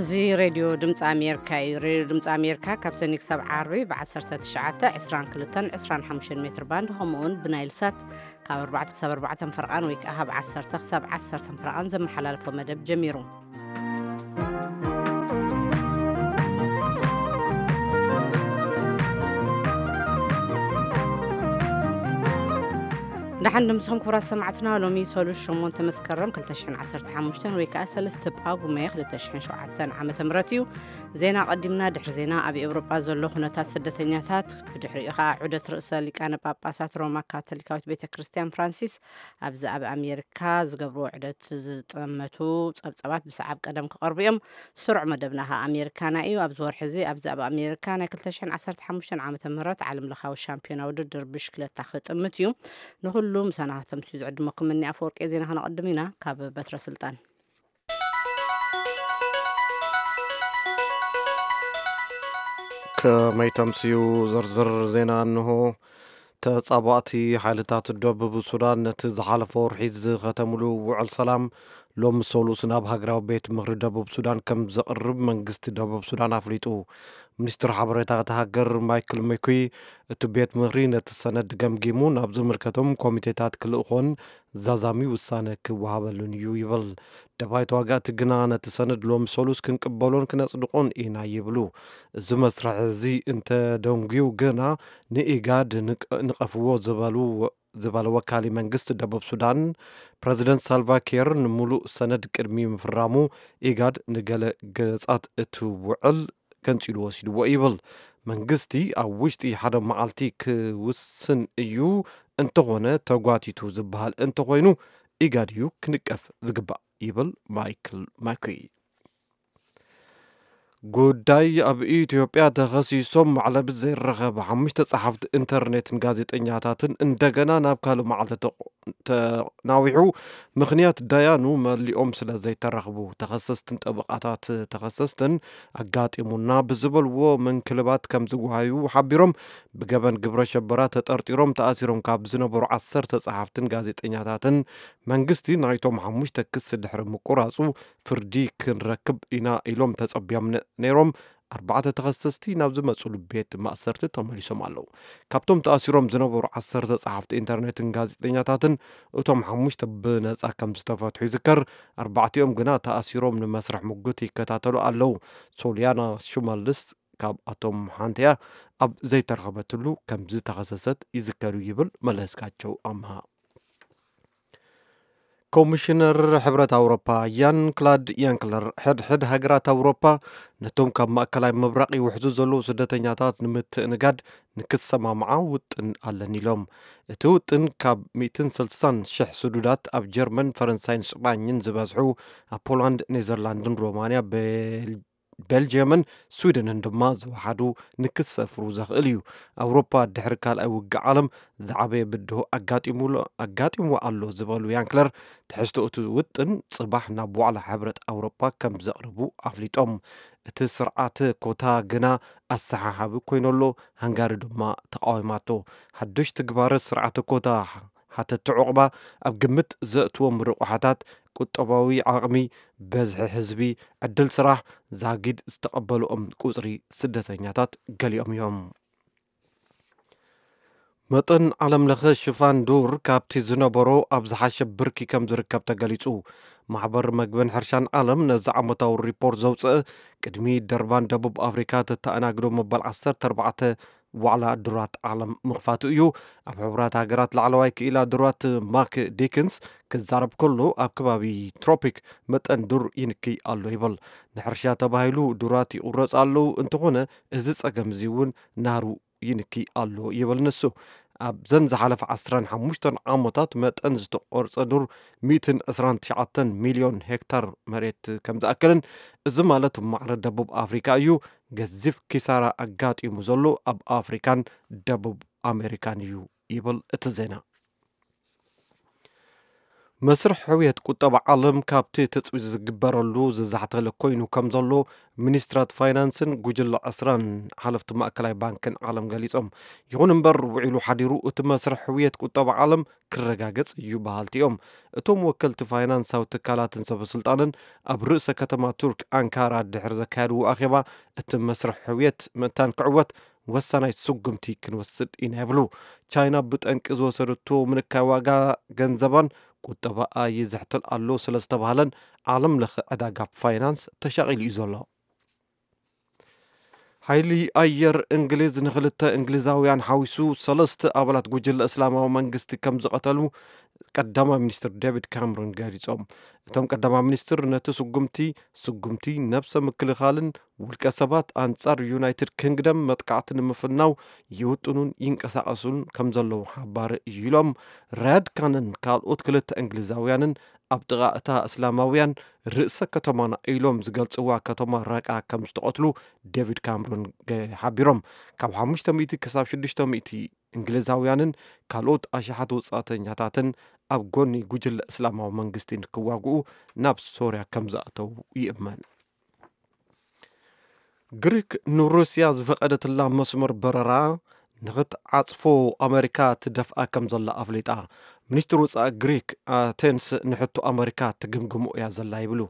እዚ ሬድዮ ድምፂ ኣሜሪካ እዩ። ሬድዮ ድምፂ ኣሜሪካ ካብ ሰኒ ክሳብ ዓርቢ ብ19፣ 22፣ 25 ሜትር ባንድ፣ ከምኡውን ብናይል ሳት ካብ ኣርባዕተ ክሳብ ኣርባዕተ ፈርቓን ወይ ከዓ ካብ ዓሰርተ ክሳብ ዓሰርተ ፈርቓን ዘመሓላልፎ መደብ ጀሚሩ። ደሓን ድምስኹም ክቡራት ሰማዕትና። ሎሚ ሰሉስ ሸሞንተ መስከረም ክልተ ሽሕን ዓሰርተ ሓሙሽተን ወይ ከዓ ሰለስተ ጳጉሜ ክልተ ሽሕን ሸውዓተን ዓመተ ምህረት እዩ። ዜና ቀዲምና፣ ድሕሪ ዜና ኣብ ኤውሮጳ ዘሎ ኩነታት ስደተኛታት፣ ብድሕሪኡ ከዓ ዑደት ርእሰ ሊቃነ ጳጳሳት ሮማ ካቶሊካዊት ቤተ ክርስቲያን ፍራንሲስ ኣብዚ ኣብ ኣሜሪካ ዝገብርዎ ዑደት ዝጠመቱ ጸብጸባት ብሰዓብ ቀደም ክቐርቡ እዮም። ስሩዕ መደብና ከዓ ኣሜሪካና እዩ። ኣብዚ ወርሒ እዚ ኣብዚ ኣብ ኣሜሪካ ናይ ክልተ ሽሕን ዓሰርተ ሓሙሽተን ዓመተ ምህረት ዓለም ለኻዊ ሻምፒዮና ውድድር ብሽክለታ ክጥምት እዩ። ንኹሉ ምሳና ከተምስዩ ዝዕድመኩም እኒ ኣፈወርቂ ዜና ከነቐድም ኢና። ካብ በትረ ስልጣን ከመይ ተምስዩ ዝርዝር ዜና እንሆ። ተጻባእቲ ሓይልታት ደቡብ ሱዳን ነቲ ዝሓለፈ ወርሒ ዝኸተምሉ ውዕል ሰላም ሎሚ ሰሉስ ናብ ሃገራዊ ቤት ምኽሪ ደቡብ ሱዳን ከም ዘቕርብ መንግስቲ ደቡብ ሱዳን ኣፍሊጡ። ሚኒስትር ሓበሬታ እታ ሃገር ማይክል መኩይ፣ እቲ ቤት ምኽሪ ነቲ ሰነድ ገምጊሙ ናብ ዝምልከቶም ኮሚቴታት ክልእኾን ዛዛሚ ውሳነ ክወሃበሉን እዩ ይብል። ደባይ ተዋጋእቲ ግና ነቲ ሰነድ ሎሚ ሰሉስ ክንቅበሎን ክነጽድቆን ኢና ይብሉ። እዚ መስርሕ እዚ እንተደንጉዩ ግና ንኢጋድ ንቀፍዎ ዝበሉ ዝበለ ወካሊ መንግስቲ ደቡብ ሱዳን፣ ፕረዚደንት ሳልቫ ኪር ንምሉእ ሰነድ ቅድሚ ምፍራሙ ኢጋድ ንገለ ገጻት እቲ ውዕል ገንጺሉ ወሲድዎ ይብል። መንግስቲ ኣብ ውሽጢ ሓደ መዓልቲ ክውስን እዩ፣ እንተኾነ ተጓቲቱ ዝበሃል እንተኾይኑ ኢጋድ እዩ ክንቀፍ ዝግባእ ይብል ማይክል ማኩይ። ጉዳይ ኣብ ኢትዮጵያ ተኸሲሶም ማዕለቢ ዘይረኸብ ሓሙሽተ ጸሓፍቲ ኢንተርኔትን ጋዜጠኛታትን እንደገና ናብ ካልእ መዓልቲ ተቆ-፣ ተናዊሑ። ምኽንያት ደያኑ መሊኦም ስለ ዘይተረኽቡ፣ ተኸሰስትን ጠበቓታት ተኸሰስትን ኣጋጢሙና ብዝበልዎ ምንክልባት ከም ዝጓሃዩ ሓቢሮም። ብገበን ግብረ ሸበራ ተጠርጢሮም ተኣሲሮም ካብ ዝነበሩ ዓሰርተ ጸሓፍትን ጋዜጠኛታትን መንግስቲ ናይቶም ሓሙሽተ ክሲ ድሕሪ ምቁራጹ ፍርዲ ክንረክብ ኢና ኢሎም ተጸቢዮም ነ-፣ ነይሮም። ኣርባዕተ ተኸሰስቲ ናብ ዝመጹሉ ቤት ማእሰርቲ ተመሊሶም ኣለዉ። ካብቶም ተኣሲሮም ዝነበሩ ዓሰርተ ጸሓፍቲ ኢንተርኔትን ጋዜጠኛታትን እቶም ሓሙሽተ ብነጻ ከም ዝተፈትሑ ይዝከር። ኣርባዕቲኦም ግና ተኣሲሮም ንመስርሕ ምጉት ይከታተሉ ኣለዉ። ሶልያና ሽመልስ ካብኣቶም ሓንቲ እያ። ኣብ ዘይተረኸበትሉ ከም ዝተኸሰሰት ይዝከር እዩ ይብል መለስካቸው ኣምሃ። ኮሚሽነር ሕብረት ኣውሮፓ ያን ክላድ ያንክለር፣ ሕድሕድ ሃገራት ኣውሮፓ ነቶም ካብ ማእከላይ ምብራቕ ይውሕዙ ዘለዉ ስደተኛታት ንምትእንጋድ ንክሰማምዓ ውጥን ኣለን ኢሎም። እቲ ውጥን ካብ ሚእትን ስልሳን ሽሕ ስዱዳት ኣብ ጀርመን፣ ፈረንሳይን ስጳኝን ዝበዝሑ፣ ኣብ ፖላንድ፣ ኔዘርላንድን ሮማንያ፣ ቤል-፣ ቤልጅየምን ስዊድንን ድማ ዝወሓዱ ንክሰፍሩ ዘኽእል እዩ። ኣውሮፓ ድሕሪ ካልኣይ ውግእ ዓለም ዝዓበየ ብድሆ ኣጋጢሙሎ-፣ ኣጋጢምዎ ኣሎ ዝበሉ ያንክለር፣ ትሕዝቶ እቲ ውጥን ጽባሕ ናብ ዋዕላ ሕብረት ኣውሮፓ ከም ዘቕርቡ ኣፍሊጦም። እቲ ስርዓተ ኮታ ግና ኣሰሓሓቢ ኮይነሎ፣ ሃንጋሪ ድማ ተቃዊማቶ። ሓድሽ ትግባረ ስርዓተ ኮታ ሓተቲ ዑቕባ ኣብ ግምት ዘእትዎም ርቑሓታት፣ ቁጠባዊ ዓቕሚ፣ በዝሒ ህዝቢ፣ ዕድል ስራሕ፣ ዛጊድ ዝተቐበልኦም ቁጽሪ ስደተኛታት ገሊኦም እዮም። መጠን ዓለምለኸ ሽፋን ዱር ካብቲ ዝነበሮ ኣብ ዝሓሸ ብርኪ ከም ዝርከብ ተገሊጹ። ማሕበር መግብን ሕርሻን ዓለም ነዚ ዓመታዊ ሪፖርት ዘውፅአ፣ ቅድሚ ደርባን ደቡብ ኣፍሪካ ተተኣናግዶ መበል ዓሰርተ ኣርባዕተ ዋዕላ ዱራት ዓለም ምኽፋቱ እዩ። ኣብ ሕቡራት ሃገራት ላዕለዋይ ክኢላ ዱራት ማክ ዲክንስ ክዛረብ ከሎ፣ ኣብ ከባቢ ትሮፒክ መጠን ዱር ይንክይ ኣሎ ይብል። ንሕርሻ ተባሂሉ ዱራት ይቑረጽ ኣለዉ፣ እንተኾነ እዚ ጸገም እዚ እውን ናሩ ይንኪ ኣሎ ይብል ንሱ። ኣብዘን ዝሓለፈ ዓሰርተ ሓሙሽተ ዓመታት መጠን ዝተቖርጸ ዱር ሚእትን ዕስራን ትሽዓተን ሚልዮን ሄክታር መሬት ከም ዝኣክልን፣ እዚ ማለት ማዕረ ደቡብ ኣፍሪካ እዩ። ገዚፍ ኪሳራ ኣጋጢሙ ዘሎ ኣብ ኣፍሪካን ደቡብ ኣሜሪካን እዩ ይብል እቲ ዜና። መስርሕ ሕውየት ቁጠባ ዓለም ካብቲ ትጽቢት ዝግበረሉ ዝዛሕተለ ኮይኑ ከም ዘሎ ሚኒስትራት ፋይናንስን ጉጅለ ዕስራን ሓለፍቲ ማእከላይ ባንክን ዓለም ገሊጾም። ይኹን እምበር፣ ውዒሉ ሓዲሩ እቲ መስርሕ ሕውየት ቁጠባ ዓለም ክረጋገጽ እዩ በሃልቲ እዮም። እቶም ወከልቲ ፋይናንሳዊ ትካላትን ሰበስልጣንን ኣብ ርእሰ ከተማ ቱርክ ኣንካራ ድሕሪ ዘካየድዎ ኣኼባ፣ እቲ መስርሕ ሕውየት ምእንታን ክዕወት ወሳናይ ስጉምቲ ክንወስድ ኢና ይብሉ። ቻይና ብጠንቂ ዝወሰደቶ ምንካይ ዋጋ ገንዘባን ቁጠባኣ ይዝሕትል ኣሎ ስለ ዝተባህለን ዓለም ለኸ ዕዳጋ ፋይናንስ ተሻቒሉ እዩ ዘሎ። ሓይሊ ኣየር እንግሊዝ ንክልተ እንግሊዛውያን ሓዊሱ ሰለስተ ኣባላት ጉጅለ እስላማዊ መንግስቲ ከም ዝቐተሉ ቀዳማይ ሚኒስትር ዴቪድ ካምሮን ገሊጾም። እቶም ቀዳማይ ሚኒስትር ነቲ ስጉምቲ፣ ስጉምቲ ነብሰ ምክልኻልን ውልቀ ሰባት ኣንጻር ዩናይትድ ኪንግደም መጥቃዕቲ ንምፍናው ይውጥኑን ይንቀሳቐሱን ከም ዘለዉ ሓባሪ እዩ ኢሎም። ራያድ ካንን ካልኦት ክልተ እንግሊዛውያንን ኣብ ጥቓ እታ እስላማውያን ርእሰ ከተማና ኢሎም ዝገልጽዋ ከተማ ራቃ ከም ዝተቐትሉ ዴቪድ ካምሮን ገ-፣ ሓቢሮም። ካብ ሓሙሽተ ሚእቲ ክሳብ ሽዱሽተ ሚእቲ እንግሊዛውያንን ካልኦት ኣሽሓት ወጻእተኛታትን ኣብ ጎኒ ጉጅለ እስላማዊ መንግስቲ ንክዋግኡ ናብ ሶርያ ከም ዝኣተዉ ይእመን። ግሪክ ንሩስያ ዝፈቐደትላ መስመር በረራ ንኽትዓጽፎ ኣመሪካ ትደፍኣ ከም ዘላ ኣፍሊጣ። ሚኒስትር ወጻኢ ግሪክ ኣቴንስ ንሕቶ ኣመሪካ ትግምግሞ እያ ዘላ ይብሉ።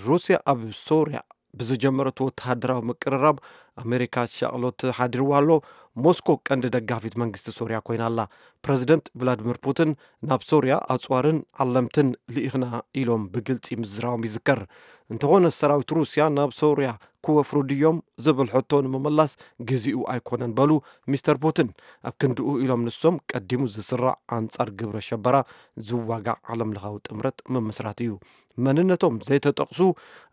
ሩስያ ኣብ ሶርያ ብዝጀመረቶ ወተሃደራዊ ምቅርራብ ኣመሪካ ሻቕሎት ሓዲርዋ ኣሎ። ሞስኮ ቀንዲ ደጋፊት መንግስቲ ሶርያ ኮይና ኣላ። ፕረዚደንት ቭላድሚር ፑቲን ናብ ሶርያ ኣጽዋርን ዓለምትን ልኢኽና ኢሎም ብግልጺ ምዝራቦም ይዝከር። እንተኾነ ሰራዊት ሩስያ ናብ ሶርያ ክወፍሩ ድዮም ዝብል ሕቶ ንምምላስ ግዜኡ ኣይኮነን በሉ ሚስተር ፑቲን። ኣብ ክንድኡ ኢሎም ንሶም ቀዲሙ ዝስራዕ ኣንጻር ግብረ ሸበራ ዝዋጋዕ ዓለም ለኻዊ ጥምረት ምምስራት እዩ። መንነቶም ዘይተጠቕሱ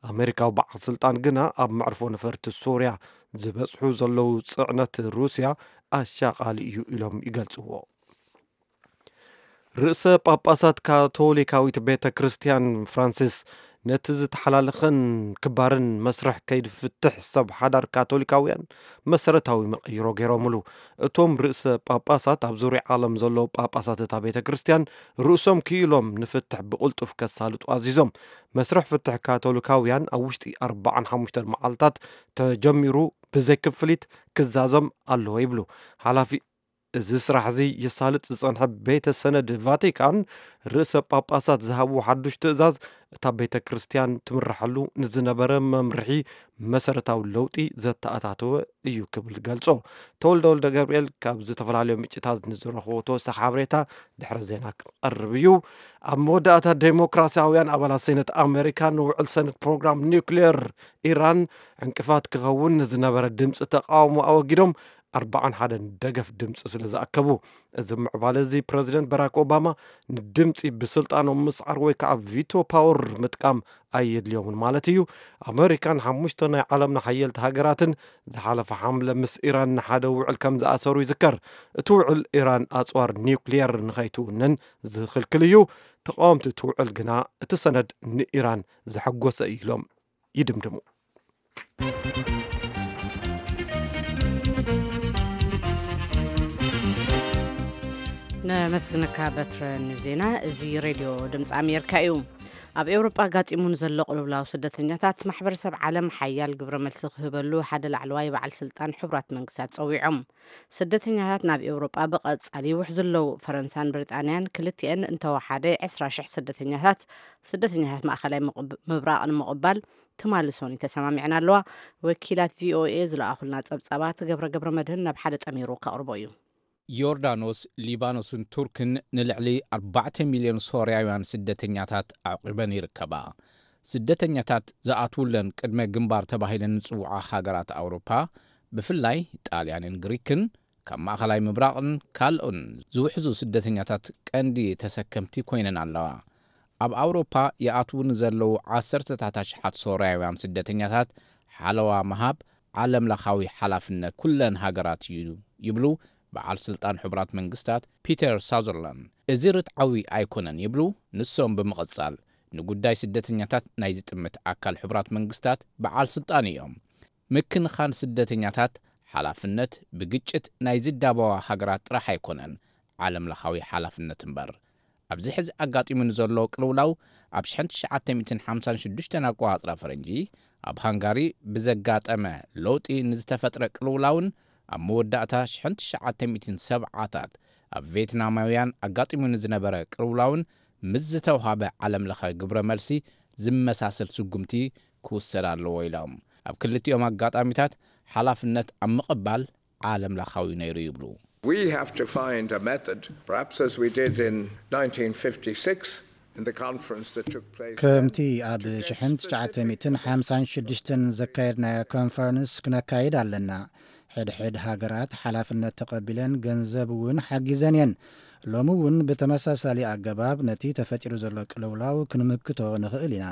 ኣመሪካዊ በዓል ስልጣን ግና ኣብ መዕርፎ ነፈርቲ ሶርያ ዝበጽሑ ዘለዉ ጽዕነት ሩስያ ኣሻቓሊ እዩ ኢሎም ይገልጽዎ። ርእሰ ጳጳሳት ካቶሊካዊት ቤተ ክርስቲያን ፍራንሲስ ነቲ ዝተሓላለኸን ክባርን መስርሕ ከይዲ ፍትሕ ሰብ ሓዳር ካቶሊካውያን መሰረታዊ መቐይሮ ገይሮምሉ። እቶም ርእሰ ጳጳሳት ኣብ ዙርያ ዓለም ዘለዉ ጳጳሳት እታ ቤተ ክርስቲያን ርእሶም ክኢሎም ንፍትሕ ብቕልጡፍ ከሳልጡ ኣዚዞም። መስርሕ ፍትሕ ካቶሊካውያን ኣብ ውሽጢ ኣርባዓን ሓሙሽተን መዓልታት ተጀሚሩ ብዘይ ክፍሊት ክዛዘም ኣለዎ ይብሉ ሓላፊ። እዚ ስራሕ እዚ ይሳልጥ ዝጸንሐ ቤተ ሰነድ ቫቲካን ርእሰ ጳጳሳት ዝሃብዎ ሓዱሽ ትእዛዝ እታ ቤተ ክርስቲያን ትምርሐሉ ንዝነበረ መምርሒ መሰረታዊ ለውጢ ዘተኣታተወ እዩ ክብል ገልጾ። ተወልደ ወልደ ገብርኤል ካብ ዝተፈላለዩ ምንጭታት ንዝረኽቦ ተወሳኺ ሓበሬታ ድሕሪ ዜና ክቐርብ እዩ። ኣብ መወዳእታ ዴሞክራሲያውያን ኣባላት ሴነት ኣሜሪካ ንውዕል ሰነት ፕሮግራም ኒውክሌር ኢራን ዕንቅፋት ክኸውን ንዝነበረ ድምፂ ተቃውሞ ኣወጊዶም ኣርባዓን ሓደን ደገፍ ድምፂ ስለ ዝኣከቡ። እዚ ምዕባለ እዚ ፕረዚደንት በራክ ኦባማ ንድምፂ ብስልጣኖም ምስዓር ወይ ከዓ ቪቶ ፓወር ምጥቃም ኣየድልዮምን ማለት እዩ። ኣመሪካን ሓሙሽተ ናይ ዓለምና ሓየልቲ ሃገራትን ዝሓለፈ ሓምለ ምስ ኢራን ንሓደ ውዕል ከም ዝኣሰሩ ይዝከር። እቲ ውዕል ኢራን ኣፅዋር ኒውክሊየር ንኸይትውንን ዝኽልክል እዩ። ተቃወምቲ እቲ ውዕል ግና እቲ ሰነድ ንኢራን ዘሐጎሰ እዩ ኢሎም ይድምድሙ። ነመስግነካ በትረ ንዜና። እዚ ሬድዮ ድምፂ ኣሜሪካ እዩ። ኣብ ኤውሮጳ ኣጋጢሙ ንዘሎ ቅልውላው ስደተኛታት ማሕበረሰብ ዓለም ሓያል ግብረ መልሲ ክህበሉ ሓደ ላዕለዋይ በዓል ስልጣን ሕቡራት መንግስታት ጸዊዖም። ስደተኛታት ናብ ኤውሮጳ ብቐጻሊ ይውሕዙ ኣለዉ። ፈረንሳን ብሪጣንያን ክልቲአን እንተወሓደ ዕስራ ሽሕ ስደተኛታት፣ ስደተኛታት ማእከላይ ምቕብ-፣ ምብራቕ ንምቕባል ትማሊ ሶኒ ተሰማሚዐን ኣለዋ። ወኪላት ቪኦኤ ዝለኣኹልና ጸብጻባት ገብረ ገብረ መድህን ናብ ሓደ ጠሚሩ ከቕርቦ እዩ። ዮርዳኖስ፣ ሊባኖስን ቱርክን ንልዕሊ ኣርባዕተ ሚልዮን ሶርያውያን ስደተኛታት ኣዕቂበን ይርከባ። ስደተኛታት ዝኣትውለን ቅድመ ግንባር ተባሂለን ዝጽውዓ ሃገራት ኣውሮፓ፣ ብፍላይ ጣልያንን ግሪክን፣ ካብ ማእከላይ ምብራቕን ካልኦን ዝውሕዙ ስደተኛታት ቀንዲ ተሰከምቲ ኮይነን ኣለዋ። ኣብ ኣውሮፓ ይኣትዉ ንዘለዉ ዓሰርተታት ኣሽሓት ሶርያውያን ስደተኛታት ሓለዋ ምሃብ ዓለምለኻዊ ሓላፍነት ኩለን ሃገራት እዩ ይብሉ በዓል ስልጣን ሕቡራት መንግስታት ፒተር ሳዘርላንድ። እዚ ርትዓዊ ኣይኮነን ይብሉ ንሶም ብምቕጻል፣ ንጉዳይ ስደተኛታት ናይ ዝጥምት ኣካል ሕቡራት መንግስታት በዓል ስልጣን እዮም። ምክንኻን ስደተኛታት ሓላፍነት ብግጭት ናይ ዝዳበዋ ሃገራት ጥራሕ ኣይኮነን፣ ዓለምለኻዊ ሓላፍነት እምበር። ኣብዚ ሕዚ ኣጋጢሙ ንዘሎ ቅልውላው፣ ኣብ ሽሕን ትሽዓተ ሚእትን ሓምሳን ሽዱሽተን ኣቆጻጽራ ፈረንጂ ኣብ ሃንጋሪ ብዘጋጠመ ለውጢ ንዝተፈጥረ ቅልውላውን ኣብ መወዳእታ ሽሕን ትሽዓተ ሚእትን ሰብዓታት ኣብ ቬትናማውያን ኣጋጢሙ ንዝነበረ ቅልውላውን ምስ ዝተውሃበ ዓለም ለኸ ግብረ መልሲ ዝመሳሰል ስጉምቲ ክውሰድ ኣለዎ ኢሎም። ኣብ ክልቲኦም ኣጋጣሚታት ሓላፍነት ኣብ ምቕባል ዓለም ለኻዊ ነይሩ ይብሉ። We have to find a method, perhaps as we did in nineteen fifty-six in the conference that took place then. ከምቲ ኣብ ሽሕን ትሽዓተ ሚእትን ሓምሳን ሽዱሽተን ዘካየድናዮ ኮንፈረንስ ክነካይድ ኣለና። ሕድሕድ ሃገራት ሓላፍነት ተቐቢለን ገንዘብ እውን ሓጊዘን እየን። ሎሚ እውን ብተመሳሳሊ ኣገባብ ነቲ ተፈጢሩ ዘሎ ቅልውላው ክንምክቶ ንኽእል ኢና።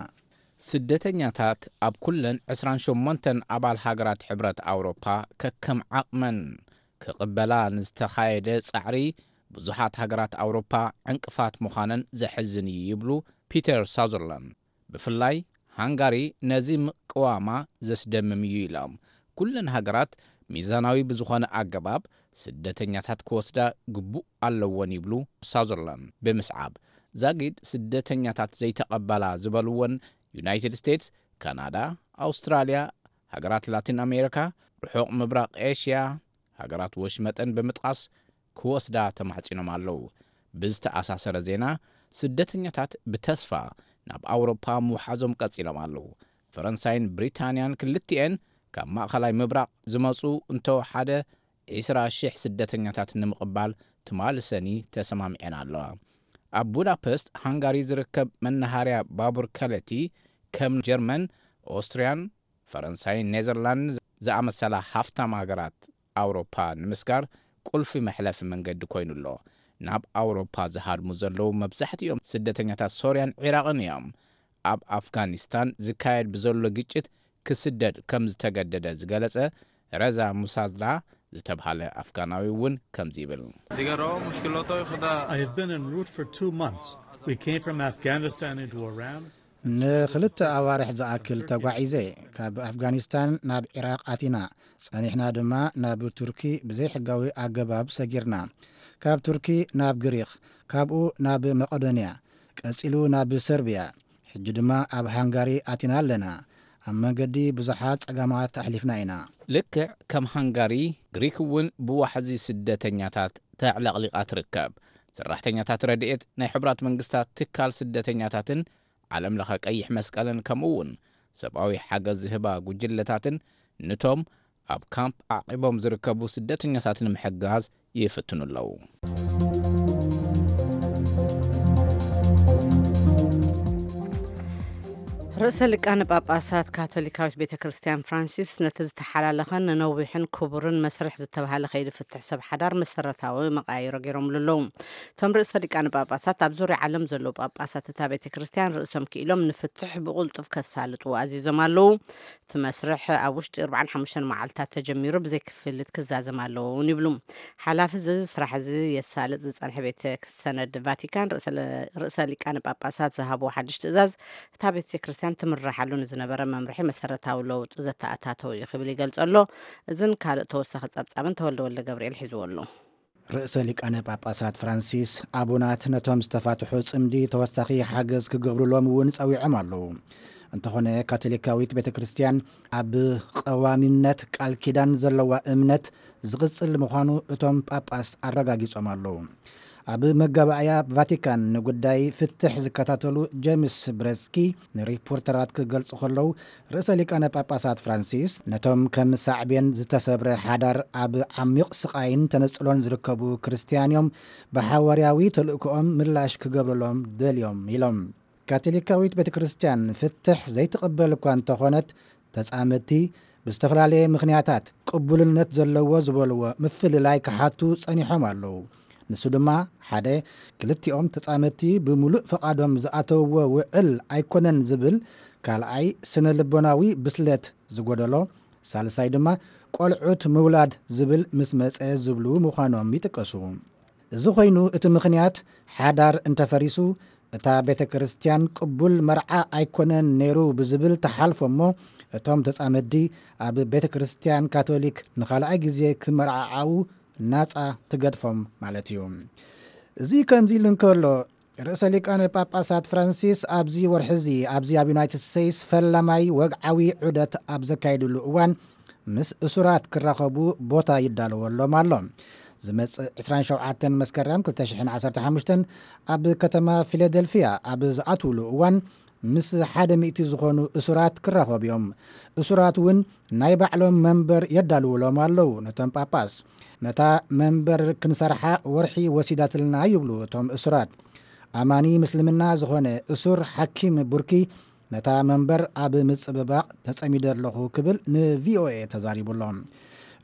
ስደተኛታት ኣብ ኩለን ዕስራን ሸሞንተን ኣባል ሃገራት ሕብረት ኣውሮፓ ከከም ዓቕመን ክቕበላ ንዝተኻየደ ጻዕሪ ብዙሓት ሃገራት ኣውሮፓ ዕንቅፋት ምዃነን ዘሕዝን እዩ ይብሉ ፒተር ሳዘርላንድ። ብፍላይ ሃንጋሪ ነዚ ምቅዋማ ዘስደምም እዩ ኢሎም። ኩለን ሃገራት ሚዛናዊ ብዝኾነ ኣገባብ ስደተኛታት ክወስዳ ግቡእ ኣለወን ይብሉ ሳዘርላንድ ብምስዓብ። ዛጊድ ስደተኛታት ዘይተቐበላ ዝበልወን ዩናይትድ ስቴትስ፣ ካናዳ፣ ኣውስትራልያ፣ ሃገራት ላቲን ኣሜሪካ፣ ርሑቕ ምብራቕ ኤሽያ፣ ሃገራት ወሽመጠን ብምጥቃስ ክወስዳ ተማሕጺኖም ኣለዉ። ብዝተኣሳሰረ ዜና፣ ስደተኛታት ብተስፋ ናብ ኣውሮፓ ምውሓዞም ቀጺሎም ኣለዉ። ፈረንሳይን ብሪታንያን ክልቲኤን ካብ ማእኸላይ ምብራቕ ዝመጹ እንተወሓደ ዕስራ ሽሕ ስደተኛታት ንምቕባል ትማሊ ሰኒ ተሰማሚዐን ኣለዋ። ኣብ ቡዳፐስት ሃንጋሪ ዝርከብ መናሃርያ ባቡር ከለቲ ከም ጀርመን፣ ኦስትርያን ፈረንሳይን ኔዘርላንድን ዝኣመሰላ ሃፍታም ሃገራት ኣውሮፓ ንምስጋር ቁልፊ መሕለፊ መንገዲ ኮይኑ ኣሎ። ናብ ኣውሮፓ ዝሃድሙ ዘለዉ መብዛሕትኦም ስደተኛታት ሶርያን ዒራቕን እዮም። ኣብ ኣፍጋኒስታን ዝካየድ ብዘሎ ግጭት ክስደድ ከም ዝተገደደ ዝገለጸ ረዛ ሙሳዝላ ዝተብሃለ ኣፍጋናዊ እውን ከምዚ ይብል። دیگه راه مشکلات های خود I have been en route for two months. We came from Afghanistan into Iran. ንክልተ ኣዋርሕ ዝኣክል ተጓዒዘ። ካብ ኣፍጋኒስታን ናብ ዒራቕ ኣቲና፣ ጸኒሕና ድማ ናብ ቱርኪ ብዘይሕጋዊ ኣገባብ ሰጊርና። ካብ ቱርኪ ናብ ግሪኽ፣ ካብኡ ናብ መቐዶንያ፣ ቀጺሉ ናብ ሰርብያ፣ ሕጂ ድማ ኣብ ሃንጋሪ ኣቲና ኣለና። ኣብ መንገዲ ብዙሓት ጸገማት ኣሕሊፍና ኢና። ልክዕ ከም ሃንጋሪ፣ ግሪክ እውን ብዋሕዚ ስደተኛታት ተዕለቕሊቓ ትርከብ። ሰራሕተኛታት ረድኤት ናይ ሕቡራት መንግስታት ትካል ስደተኛታትን ዓለም ለኸ ቀይሕ መስቀልን ከምኡ እውን ሰብኣዊ ሓገዝ ዝህባ ጉጅለታትን ንቶም ኣብ ካምፕ ዓቒቦም ዝርከቡ ስደተኛታት ንምሕጋዝ ይፍትኑ ኣለዉ። ርእሰ ሊቃነ ጳጳሳት ካቶሊካዊት ቤተ ክርስቲያን ፍራንሲስ ነቲ ዝተሓላለኸን ነነዊሕን ክቡርን መስርሕ ዝተባህለ ከይዲ ፍትሕ ሰብ ሓዳር መሰረታዊ መቃይሮ ገይሮምሉ ኣለዉ። እቶም ርእሰ ሊቃነ ጳጳሳት ኣብ ዙርያ ዓለም ዘለዉ ጳጳሳት እታ ቤተ ክርስቲያን ርእሶም ክኢሎም ንፍትሕ ብቕልጡፍ ከሳልጡ ኣዚዞም ኣለዉ። እቲ መስርሕ ኣብ ውሽጢ ኣርባዓን ሓሙሽተን መዓልታት ተጀሚሩ ብዘይ ክፍሊት ክዛዘም ኣለዎ እውን ይብሉ። ሓላፊ እዚ ስራሕ እዚ የሳልጥ ዝጸንሐ ቤተ ሰነድ ቫቲካን ርእሰ ለ- ርእሰ ሊቃነ ጳጳሳት ዝሃብዎ ሓድሽ ትእዛዝ እታ ቤተ ክርስቲያን ትምርሓሉ ንዝነበረ መምርሒ መሰረታዊ ለውጢ ዘተኣታተው እዩ ክብል ይገልጾ ኣሎ። እዝን ካልእ ተወሳኺ ጸብጻብን ተወልደ ወልደ ገብርኤል ሒዝዎ ኣሎ። ርእሰ ሊቃነ ጳጳሳት ፍራንሲስ ኣቡናት ነቶም ዝተፋትሑ ጽምዲ ተወሳኺ ሓገዝ ክገብሩሎም እውን ጸዊዖም ኣለዉ። እንተኾነ ካቶሊካዊት ቤተ ክርስቲያን ኣብ ቀዋሚነት ቃል ኪዳን ዘለዋ እምነት ዝቕጽል ምዃኑ እቶም ጳጳስ ኣረጋጊጾም ኣለዉ። ኣብ መጋባእያ ቫቲካን ንጉዳይ ፍትሕ ዝከታተሉ ጄምስ ብረስኪ ንሪፖርተራት ክገልጹ ከለዉ፣ ርእሰ ሊቃነ ጳጳሳት ፍራንሲስ ነቶም ከም ሳዕቤን ዝተሰብረ ሓዳር ኣብ ዓሚቕ ስቓይን ተነጽሎን ዝርከቡ ክርስትያን እዮም፣ ብሓዋርያዊ ተልእኮኦም ምላሽ ክገብሩሎም ደልዮም ኢሎም። ካቶሊካዊት ቤተ ክርስቲያን ፍትሕ ዘይትቕበል እኳ እንተኾነት፣ ተጻመድቲ ብዝተፈላለየ ምኽንያታት ቅቡልነት ዘለዎ ዝበልዎ ምፍልላይ ክሓቱ ጸኒሖም ኣለዉ። ንሱ ድማ ሓደ፣ ክልቲኦም ተጻመድቲ ብምሉእ ፍቓዶም ዝኣተውዎ ውዕል ኣይኮነን ዝብል፣ ካልኣይ ስነ ልቦናዊ ብስለት ዝጎደሎ፣ ሳልሳይ ድማ ቆልዑት ምውላድ ዝብል ምስ መጸ ዝብሉ ምዃኖም ይጥቀሱ። እዚ ኮይኑ እቲ ምኽንያት ሓዳር እንተፈሪሱ እታ ቤተ ክርስቲያን ቅቡል መርዓ ኣይኮነን ነይሩ ብዝብል ተሓልፎ እሞ እቶም ተጻመድቲ ኣብ ቤተ ክርስቲያን ካቶሊክ ንኻልኣይ ግዜ ክመርዓዓዉ ናጻ ትገድፎም ማለት እዩ። እዚ ከምዚ ኢሉ እንከሎ ርእሰ ሊቃነ ጳጳሳት ፍራንሲስ ኣብዚ ወርሒ እዚ ኣብዚ ኣብ ዩናይትድ ስቴትስ ፈላማይ ወግዓዊ ዑደት ኣብ ዘካየድሉ እዋን ምስ እሱራት ክራኸቡ ቦታ ይዳለወሎም ኣሎ። ዝመጽእ ዕስራን ሸውዓተን መስከረም ክልተ ሽሕን ዓሰርተ ሓሙሽተን ኣብ ከተማ ፊላደልፊያ ኣብ ዝኣትውሉ እዋን ምስ ሓደ ሚእቲ ዝኾኑ እሱራት ክራኸቡ እዮም። እሱራት እውን ናይ ባዕሎም መንበር የዳልውሎም ኣለዉ። ነቶም ጳጳስ ነታ መንበር ክንሰርሓ ወርሒ ወሲዳትልና ይብሉ እቶም እሱራት። ኣማኒ ምስልምና ዝኾነ እሱር ሓኪም ቡርኪ ነታ መንበር ኣብ ምጽብባቕ ተጸሚደ ኣለኹ ክብል ንቪኦኤ ተዛሪቡ ኣሎ።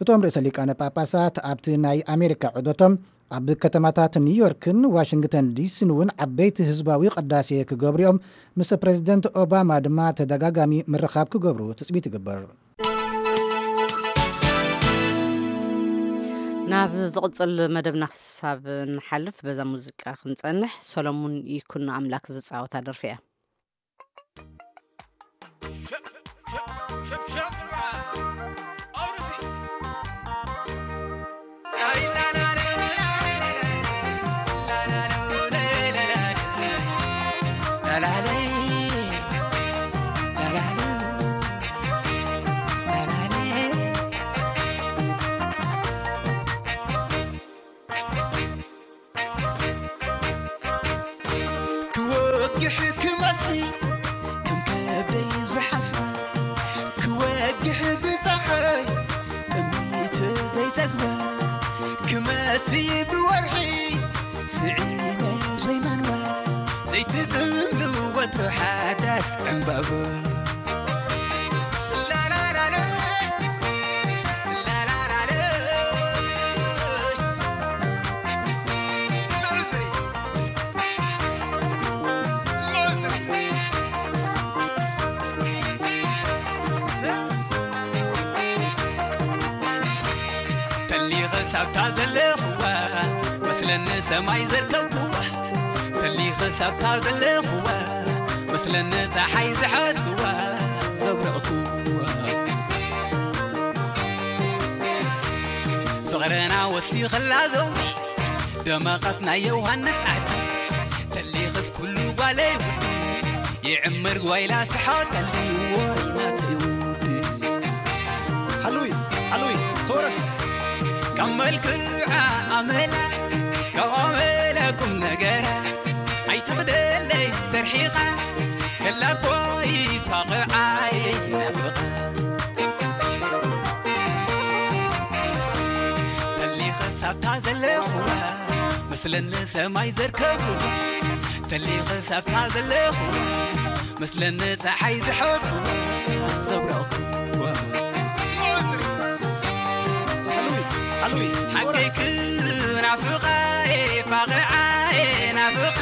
እቶም ርእሰ ሊቃነ ጳጳሳት ኣብቲ ናይ ኣሜሪካ ዑደቶም ኣብ ከተማታት ኒውዮርክን ዋሽንግተን ዲሲን እውን ዓበይቲ ህዝባዊ ቅዳሴ ክገብሩ እዮም። ምስ ፕሬዚደንት ኦባማ ድማ ተደጋጋሚ ምርኻብ ክገብሩ ትጽቢት ይግበር። ናብ ዝቕጽል መደብና ክሳብ ንሓልፍ በዛ ሙዚቃ ክንጸንሕ፣ ሰሎሙን ይኩኖ ኣምላክ ዝጻወታ ደርፊ እያ። ክወግሕ ክመሲ ከም ከብደይ ዝሓስባ፣ ክወግሕ ብፀሓይ ጥሜት ዘይፀግባ፣ ክመሲ ብወርሒ ስዒነ ዘይማንዋ፣ ዘይትፅምሉ ወትሩ ሓዳስ ዕምባባ። ተሊኸ ሳብታ ዘለኽዋ መስለኒ ሰማይ ዘርከብክዋ፣ ተሊኸ ሳብታ ዘለኽዋ መስለኒ ፀሓይ ዝሓትክዋ ዘብረቕክዋ። ፍቕርና ወሲኸላ ዘውዲ ደመቐት ናይ ዮሃንስ ዓዲ፣ ተሊኸስ ኩሉ ጓለይ ውዲ ይዕምር ጓይላ ስሓቀሊ ወይ ናተይ ውዲ። ሓሉይ፣ ሓሉይ፣ ተወረስ። ካብ መልክዓ ኣመላ፣ ካብ ኣመላ ቁም ነገራ፣ ኣይትኽደለይ ዝተርሒቓ፣ ከላ ኮይ ፋቕዓይ ናፍቓ። ተሊኸ ሳብታ ዘለኹዋ፣ መስለኒ ሰማይ ዘርከብኩዋ፣ ተሊኸ ሳብታ ዘለኹዋ፣ መስለኒ ፀሓይ ዝሓትኩዋ፣ ዘብረቕኩዋ። ሓሉይ፣ ሓሉይ፣ ሓቀይክ ናፍቓ፣ ፋቕዓይ ናፍቓ፣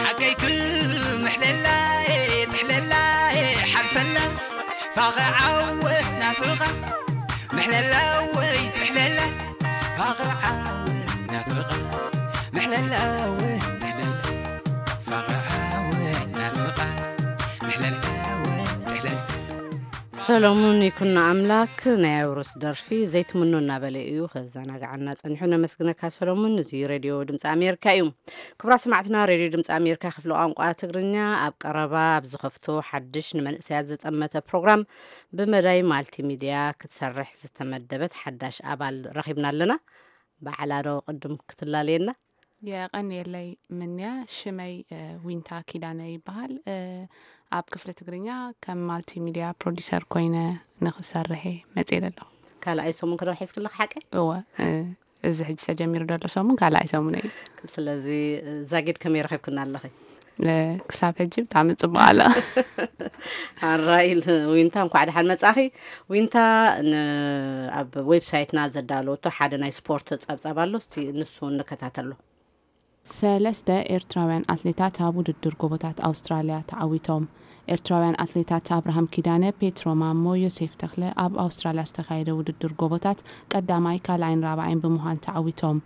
ሓቀይክ ምሕለላ፣ ጥሕለላ፣ ሓልፈላ፣ ፋቕዓወ ናፍቓ፣ ምሕለላ ወይ ጥሕለላ፣ ፋቕዓወ ናፍቓ፣ ምሕለላ ወይ ጥሕለላ፣ ፋቕዓወ ናፍቓ፣ ምሕለላ ወይ ጥሕለላ። ሰሎሙን ይኩኖ ኣምላክ ናይ ኣውርስ ደርፊ ዘይትምኖ እናበለ እዩ ከዘናግዓና ጸኒሑ። ነመስግነካ ሰሎሙን። እዚ ሬድዮ ድምፂ ኣሜሪካ እዩ። ክቡራት ሰማዕትና፣ ሬድዮ ድምፂ ኣሜሪካ ክፍሊ ቋንቋ ትግርኛ ኣብ ቀረባ ኣብ ዝኸፍቶ ሓድሽ ንመንእሰያት ዝጠመተ ፕሮግራም ብመዳይ ማልቲሚድያ ክትሰርሕ ዝተመደበት ሓዳሽ ኣባል ረኺብና ኣለና። በዓላ ዶ ቅድም ክትላለየና? የቐንየለይ ምንያ፣ ሽመይ፣ እ፣ ዊንታ ኪዳነ ይበሃል። እ፣ ኣብ ክፍሊ ትግርኛ ከም ማልቲሚድያ ፕሮዲሰር ኮይነ ንኽሰርሕ እየ መፅኤ ዘለኹ። ካልኣይ ሰሙን ክዶ ሒዝክለኽ ሓቀ? እወ፣ እ፣ እዚ ሕጂ ተጀሚሩ ዘሎ ሰሙን ካልኣይ ሰሙን እዩ። ስለዚ፣ እ፣ ዛጊድ ከመይ ረኺብክና ኣለኺ? እ፣ ክሳብ ሕጂ ብጣዕሚ ጽቡቕ ኣሎ። ኣራይ፣ ዊንታ፣ እንኳዕ ደሓን መጻኺ። ዊንታ፣ ን-፣ ኣብ ዌብሳይትና ዘዳለወቶ ሓደ ናይ ስፖርት ጸብጻብ ኣሎ፣ እስቲ ንሱ ንከታተሎ። ሰለስተ ኤርትራውያን ኣትሌታት ኣብ ውድድር ጎቦታት ኣውስትራልያ ተዓዊቶም። ኤርትራውያን ኣትሌታት ኣብርሃም ኪዳነ፣ ፔትሮ ማሞ፣ ዮሴፍ ተኽለ ኣብ ኣውስትራልያ ዝተኻየደ ውድድር ጎቦታት ቀዳማይ፣ ካልኣይን ራብዓይን ብምዃን ተዓዊቶም።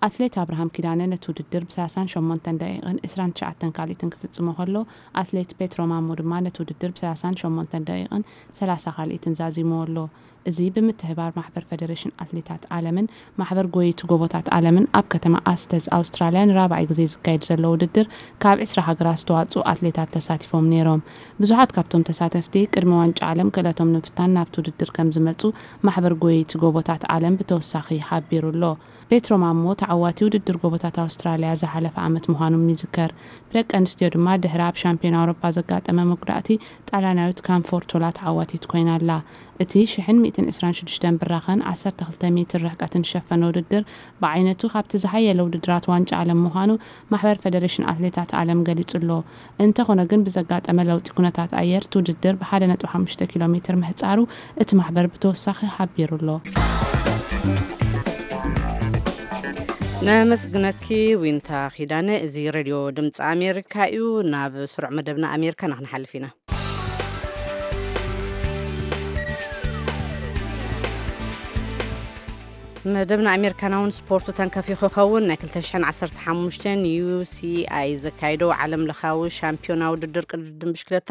ኣትሌት ኣብርሃም ኪዳነ ነቲ ውድድር ብ ሰላሳን ሸሞንተን ደቂቕን ዕስራን ትሽዓተን ካልኢትን ክፍጽሞ ከሎ፣ ኣትሌት ፔትሮ ማሞ ድማ ነቲ ውድድር ብ ሰላሳን ሸሞንተን ደቂቕን ሰላሳ ካልኢትን ዛዚምዎ ኣሎ። እዚ ብምትሕባር ማሕበር ፈደሬሽን ኣትሌታት ዓለምን ማሕበር ጎየይቲ ጎቦታት ዓለምን ኣብ ከተማ ኣስተዝ ኣውስትራልያ ንራብዓይ ግዜ ዝካየድ ዘሎ ውድድር ካብ ዕስራ ሃገራት ዝተዋፅኡ ኣትሌታት ተሳቲፎም ነይሮም። ብዙሓት ካብቶም ተሳተፍቲ ቅድሚ ዋንጫ ዓለም ክእለቶም ንምፍታን ናብቲ ውድድር ከም ዝመፁ ማሕበር ጎየይቲ ጎቦታት ዓለም ብተወሳኺ ሓቢሩ ኣሎ። ፔትሮ ማሞ ተዓዋቲ ውድድር ጎቦታት ኣውስትራልያ ዝሓለፈ ዓመት ምዃኑ ይዝከር። ብደቂ ኣንስትዮ ድማ ድሕሪ ኣብ ሻምፒዮን ኣውሮፓ ዘጋጠመ መጉዳእቲ ጣልያናዊት ካምፎርቶላ ተዓዋቲት ኮይና ኣላ። እቲ ሽሕን ሚእትን ዕስራን ሽዱሽተን ብራኸን ዓሰርተ ክልተ ሜትር ርሕቀትን ዝሸፈነ ውድድር ብዓይነቱ ካብቲ ዝሓየለ ውድድራት ዋንጫ ዓለም ምዃኑ ማሕበር ፈደሬሽን ኣትሌታት ዓለም ገሊጹ ኣሎ። እንተኾነ ግን ብዘጋጠመ ለውጢ ኩነታት ኣየር እቲ ውድድር ብ ሓደ ነጥቢ ሓሙሽተ ኪሎ ሜትር ምህጻሩ እቲ ማሕበር ብተወሳኺ ሓቢሩ ኣሎ። ነመስግነኪ ዊንታ ኪዳነ። እዚ ሬድዮ ድምፂ ኣሜሪካ እዩ። ናብ ስሩዕ መደብና ኣሜሪካ ንክንሓልፍ ኢና። መደብና ኣሜሪካናውን ስፖርቱ ተንከፊ ክኸውን ናይ ክልተ ሽሕን ዓሰርተ ሓሙሽተን ዩ ሲ ኣይ ዘካይዶ ዓለም ለኻዊ ሻምፒዮና ውድድር ቅድድም ብሽክለታ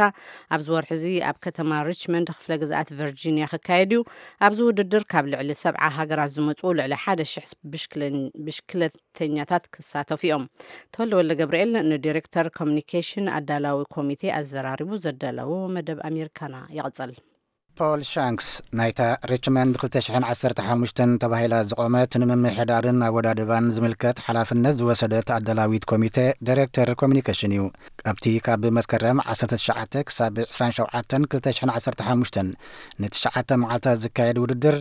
ኣብዚ ወርሒ እዚ ኣብ ከተማ ሪችመንድ ክፍለ ግዝኣት ቨርጂኒያ ክካየድ እዩ። ኣብዚ ውድድር ካብ ልዕሊ ሰብዓ ሃገራት ዝመፁ ልዕሊ ሓደ ሽሕ ብሽክለ- ብሽክለተኛታት ክሳተፉ እዮም። ተወልደ ወልደ ገብርኤል ንዲሬክተር ኮሚኒኬሽን ኣዳላዊ ኮሚቴ ኣዘራሪቡ ዘዳለዎ መደብ ኣሜሪካና ይቕፅል። ፖል ሻንክስ ናይታ ሪችመንድ ክልተ ሽሕን ዓሰርተ ሓሙሽተን ተባሂላ ዝቖመት ንምምሕዳርን ኣወዳድባን ዝምልከት ሓላፍነት ዝወሰደት ኣዳላዊት ኮሚቴ ዳይሬክተር ኮሚኒኬሽን እዩ። ኣብቲ ካብ መስከረም ዓሰርተ ትሽዓተ ክሳብ ዕስራን ሸውዓተን ክልተ ሽሕን ዓሰርተ ሓሙሽተን ንትሽዓተ መዓልታት ዝካየድ ውድድር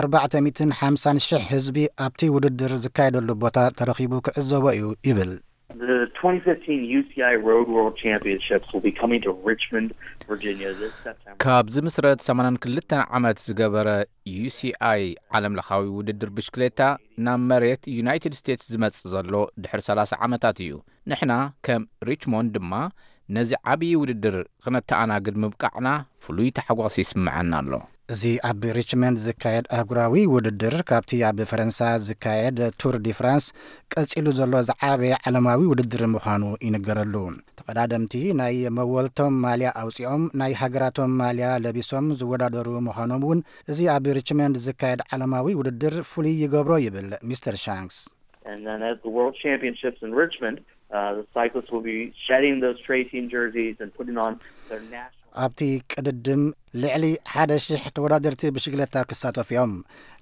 ኣርባዕተ ሚእትን ሓምሳን ሽሕ ህዝቢ ኣብቲ ውድድር ዝካየደሉ ቦታ ተረኺቡ ክዕዘቦ እዩ ይብል። The twenty fifteen U C I Road World Championships will be coming to Richmond, Virginia this September. ካብ ዝምስረት ሰማንያን ክልተን ዓመት ዝገበረ ዩ ሲ ኣይ ዓለም ለኻዊ ውድድር ብሽክሌታ ናብ መሬት ዩናይትድ ስቴትስ ዝመጽእ ዘሎ ድሕሪ ሰላሳ ዓመታት እዩ። ንሕና ከም ሪችሞንድ ድማ ነዚ ዓብዪ ውድድር ክነተኣናግድ ምብቃዕና ፍሉይ ታሕጓስ ይስምዐና ኣሎ። እዚ ኣብ ሪችመንድ ዝካየድ ኣህጉራዊ ውድድር ካብቲ ኣብ ፈረንሳ ዝካየድ ቱር ዲ ፍራንስ ቀጺሉ ዘሎ ዝዓበየ ዓለማዊ ውድድር ምዃኑ ይንገረሉ። ተቐዳደምቲ ናይ መወልቶም ማልያ ኣውጺኦም ናይ ሃገራቶም ማልያ ለቢሶም ዝወዳደሩ ምዃኖም እውን እዚ ኣብ ሪችመንድ ዝካየድ ዓለማዊ ውድድር ፍሉይ ይገብሮ ይብል ሚስተር ሻንክስ። And then at the World Championships in Richmond, uh, the cyclists will be shedding those tracing jerseys and putting on their national ኣብቲ ቅድድም ልዕሊ ሓደ ሽሕ ተወዳደርቲ ብሽግለታ ክሳተፉ እዮም።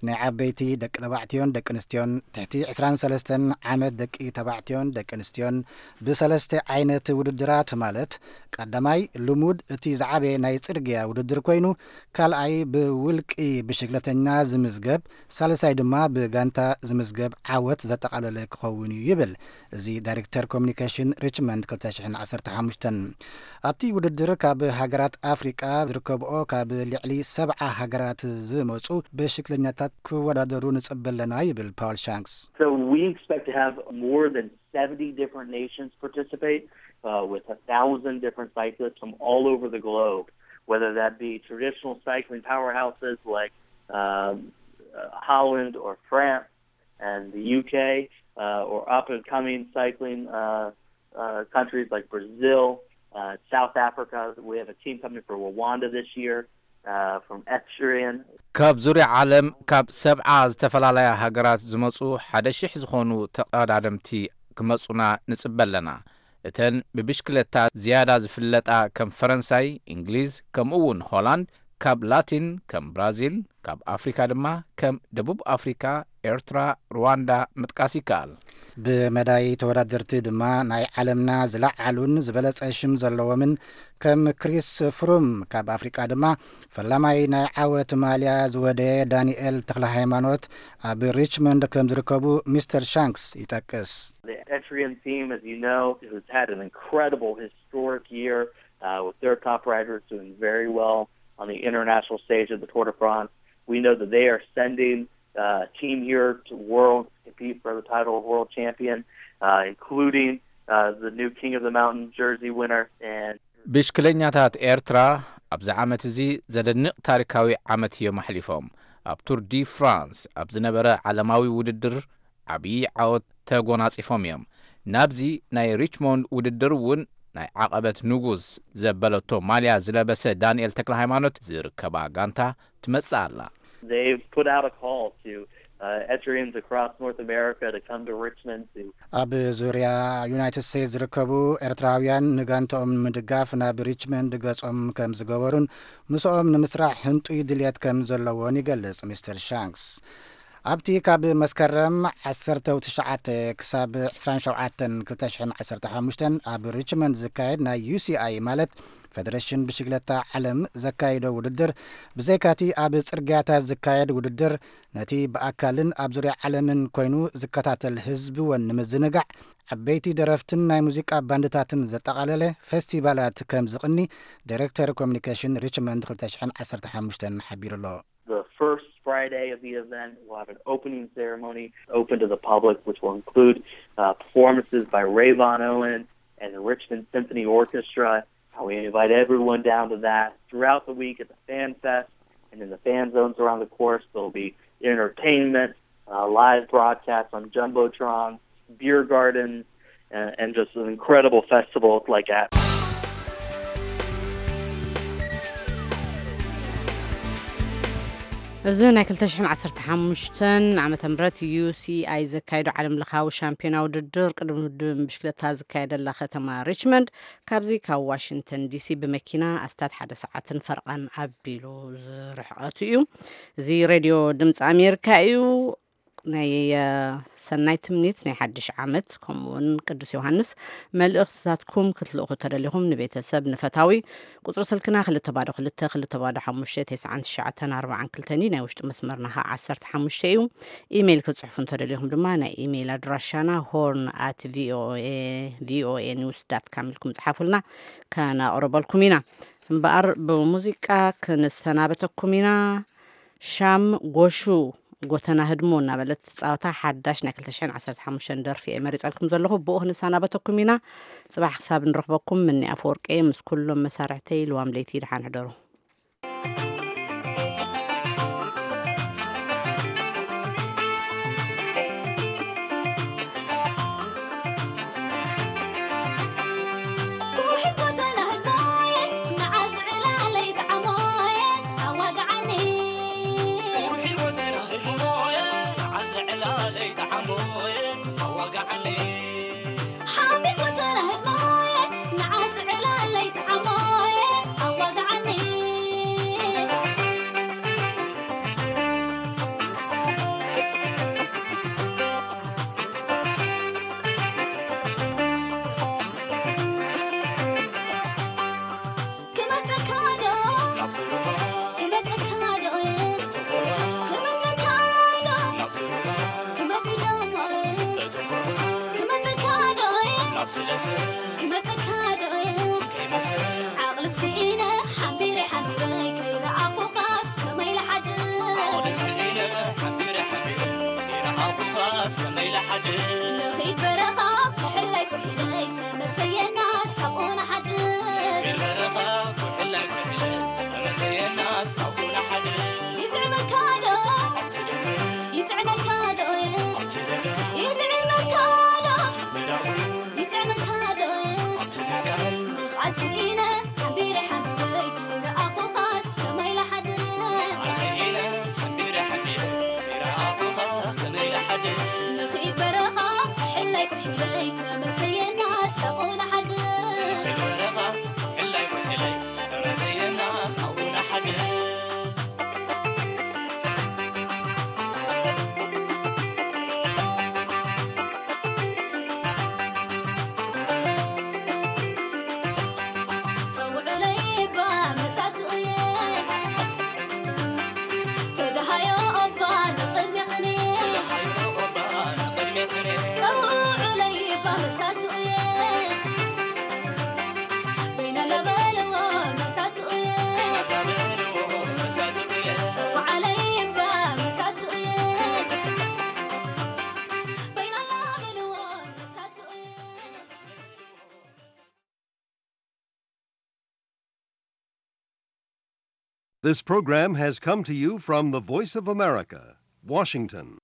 ናይ ዓበይቲ ደቂ ተባዕትዮን ደቂ ኣንስትዮን ትሕቲ ዕስራን ሰለስተን ዓመት ደቂ ተባዕትዮን ደቂ ኣንስትዮን ብሰለስተ ዓይነት ውድድራት ማለት ቀዳማይ ልሙድ እቲ ዝዓበየ ናይ ጽርግያ ውድድር ኮይኑ ካልኣይ ብውልቂ ብሽግለተኛ ዝምዝገብ ሳልሳይ ድማ ብጋንታ ዝምዝገብ ዓወት ዘጠቓለለ ክኸውን እዩ ይብል እዚ ዳይሬክተር ኮሚኒኬሽን ሪችመንድ ክልተ ሽሕን ዓሰርተ ሓሙሽተን። ኣብቲ ውድድር ካብ ሃገራት ኣፍሪቃ ዝርከብኦ ካብ ልዕሊ ሰብዓ ሃገራት ዝመፁ ብሽክለኛታት ክወዳደሩ ንፅበ ኣለና ይብል ፓውል ሻንክስ። So we expect to have more than seventy different nations participate, uh, with a thousand different cyclists from all over the globe, whether that be traditional cycling powerhouses like um, uh, Holland or France and the U K, uh, or up and coming cycling uh, uh, countries like Brazil, uh, South Africa. We have a team coming for Rwanda this year uh, from Etrian. ካብ ዙርያ ዓለም ካብ ሰብዓ ዝተፈላለያ ሃገራት ዝመፁ ሓደ ሽሕ ዝኾኑ ተቐዳደምቲ ክመፁና ንፅበ ኣለና። እተን ብብሽክለታ ዝያዳ ዝፍለጣ ከም ፈረንሳይ፣ እንግሊዝ፣ ከምኡ እውን ሆላንድ፣ ካብ ላቲን ከም ብራዚል፣ ካብ ኣፍሪካ ድማ ከም ደቡብ ኣፍሪካ፣ ኤርትራ፣ ሩዋንዳ ምጥቃስ ይከኣል። ብመዳይ ተወዳደርቲ ድማ ናይ ዓለምና ዝለዓሉን ዝበለጸ ሽም ዘለዎምን ከም ክሪስ ፍሩም፣ ካብ ኣፍሪቃ ድማ ፈላማይ ናይ ዓወት ማልያ ዝወደየ ዳንኤል ተኽለ ሃይማኖት ኣብ ሪችመንድ ከም ዝርከቡ ሚስተር ሻንክስ ይጠቅስ። The Etrian team, as you know, has had an incredible historic year uh, with their top riders doing very well on the international stage of the Tour de France. We know that they are sending uh, a team here to world to compete for the title of world champion, uh, including uh, the new King of the Mountain jersey winner and ብሽክለኛታት ኤርትራ ኣብዚ ዓመት እዚ ዘደንቕ ታሪካዊ ዓመት እዮም ኣሕሊፎም። ኣብ ቱር ዲ ፍራንስ ኣብ ዝነበረ ዓለማዊ ውድድር ዓብዪ ዓወት ተጎናጺፎም እዮም። ናብዚ ናይ ሪችሞንድ ውድድር እውን ናይ ዓቐበት ንጉስ ዘበለቶ ማልያ ዝለበሰ ዳንኤል ተክለ ሃይማኖት ዝርከባ ጋንታ ትመጽእ ኣላ። They've put out a call to uh, Eritreans across North America to come to Richmond to ኣብ ዙርያ ዩናይትድ ስቴትስ ዝርከቡ ኤርትራውያን ንጋንትኦም ንምድጋፍ ናብ ሪችመንድ ገጾም ከም ዝገበሩን ምስኦም ንምስራሕ ህንጡይ ድልየት ከም ዘለዎን ይገልጽ ሚስተር ሻንክስ። ኣብቲ ካብ መስከረም ዓሰርተ ትሽዓተ ክሳብ ዕስራን ሸውዓተን ክልተ ሽሕን ዓሰርተ ሓሙሽተን ኣብ ሪችመንድ ዝካየድ ናይ ዩ ሲ ኣይ ማለት ፈደረሽን ብሽግለታ ዓለም ዘካይዶ ውድድር ብዘይካቲ ኣብ ጽርግያታት ዝካየድ ውድድር ነቲ ብኣካልን ኣብ ዙርያ ዓለምን ኮይኑ ዝከታተል ህዝቢ እውን ንምዝንጋዕ ዓበይቲ ደረፍትን ናይ ሙዚቃ ባንድታትን ዘጠቓለለ ፌስቲቫላት ከም ዝቕኒ ዳይሬክተር ኮሚኒኬሽን ሪችመንድ ክልተ ሽሕን ዓሰርተ ሓሙሽተን ሓቢሩ ኣሎ። The first Friday of the event, we'll have an opening ceremony open to the public, which will include uh, performances by Rayvon Owen and the Richmond Symphony Orchestra. Uh, we invite everyone down to that. Throughout the week at the Fan Fest and in the fan zones around the course, there'll be entertainment, uh, live broadcasts on Jumbotron, beer gardens, and, and just an incredible festival like that. እዚ ናይ ክልተ ሽሕን ዓሰርተ ሓሙሽተ ዓመተ ምህረት ዩ ሲ ኣይ ዘካየዶ ዓለም ለኻዊ ሻምፒዮና ውድድር ቅድድም ብሽክለታ ዝካየደላ ከተማ ሪችመንድ ካብዚ ካብ ዋሽንግተን ዲሲ ብመኪና ኣስታት ሓደ ሰዓትን ፈረቓን ኣቢሉ ዝርሕቐቱ እዩ። እዚ ሬድዮ ድምፂ ኣሜሪካ እዩ። ናይ ሰናይ ትምኒት ናይ ሓድሽ ዓመት ከምኡውን ቅዱስ ዮሃንስ መልእኽትታትኩም ክትልእኹ ተደሊኹም ንቤተሰብ ንፈታዊ ቁፅሪ ስልክና ክልተ ባዶ ክልተ ክልተ ባዶ ሓሙሽተ ተስዓን ትሽዓተን ኣርባዓን ክልተን እዩ። ናይ ውሽጢ መስመርና ከዓ ዓሰርተ ሓሙሽተ እዩ። ኢሜይል ክትፅሕፉ እንተደሊኹም ድማ ናይ ኢሜይል ኣድራሻና ሆርን ኣት ቪኦኤ ቪኦኤ ኒውስ ዳት ካም ኢልኩም ፅሓፉልና ከነቕርበልኩም ኢና። እምበኣር ብሙዚቃ ክንሰናበተኩም ኢና። ሻም ጎሹ ጎተና ህድሞ እናበለት ትፃወታ ሓዳሽ ናይ ክልተ ሽሕን ዓሰርተ ሓሙሽተን ደርፊ እየ መሪፀልኩም ዘለኹ። ብኡ ክንሰናበተኩም ኢና። ፅባሕ ክሳብ ንረኽበኩም ምኒ ኣፈወርቂ ምስ ኩሎም መሳርሕተይ ልዋም ለይቲ ደሓን ሕደሩ። This program has come to you from the Voice of America, Washington.